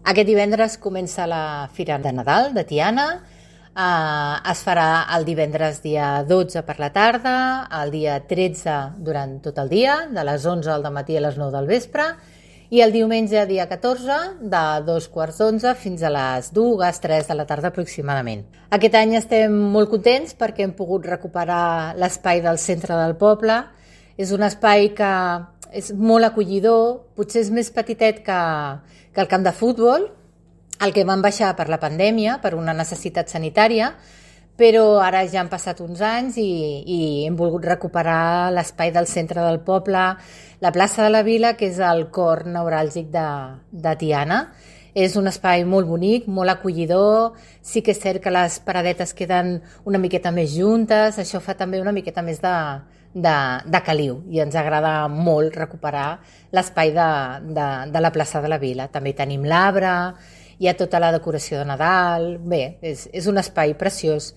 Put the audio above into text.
Aquest divendres comença la Fira de Nadal de Tiana. Es farà el divendres dia 12 per la tarda, el dia 13 durant tot el dia, de les 11 al matí a les 9 del vespre, i el diumenge dia 14 de 2:15 fins a les 2, 3 de la tarda aproximadament. Aquest any estem molt contents perquè hem pogut recuperar l'espai del centre del poble. És un espai que és molt acollidor, potser és més petitet que el camp de futbol, el que van baixar per la pandèmia, per una necessitat sanitària, però ara ja han passat uns anys i hem volgut recuperar l'espai del centre del poble, la plaça de la Vila, que és el cor neuràlgic de Tiana. És un espai molt bonic, molt acollidor. Sí que és cert que les paradetes queden una miqueta més juntes, això fa també una miqueta més de caliu, i ens agrada molt recuperar l'espai de la plaça de la Vila. També tenim l'arbre, hi ha tota la decoració de Nadal. Bé, és un espai preciós.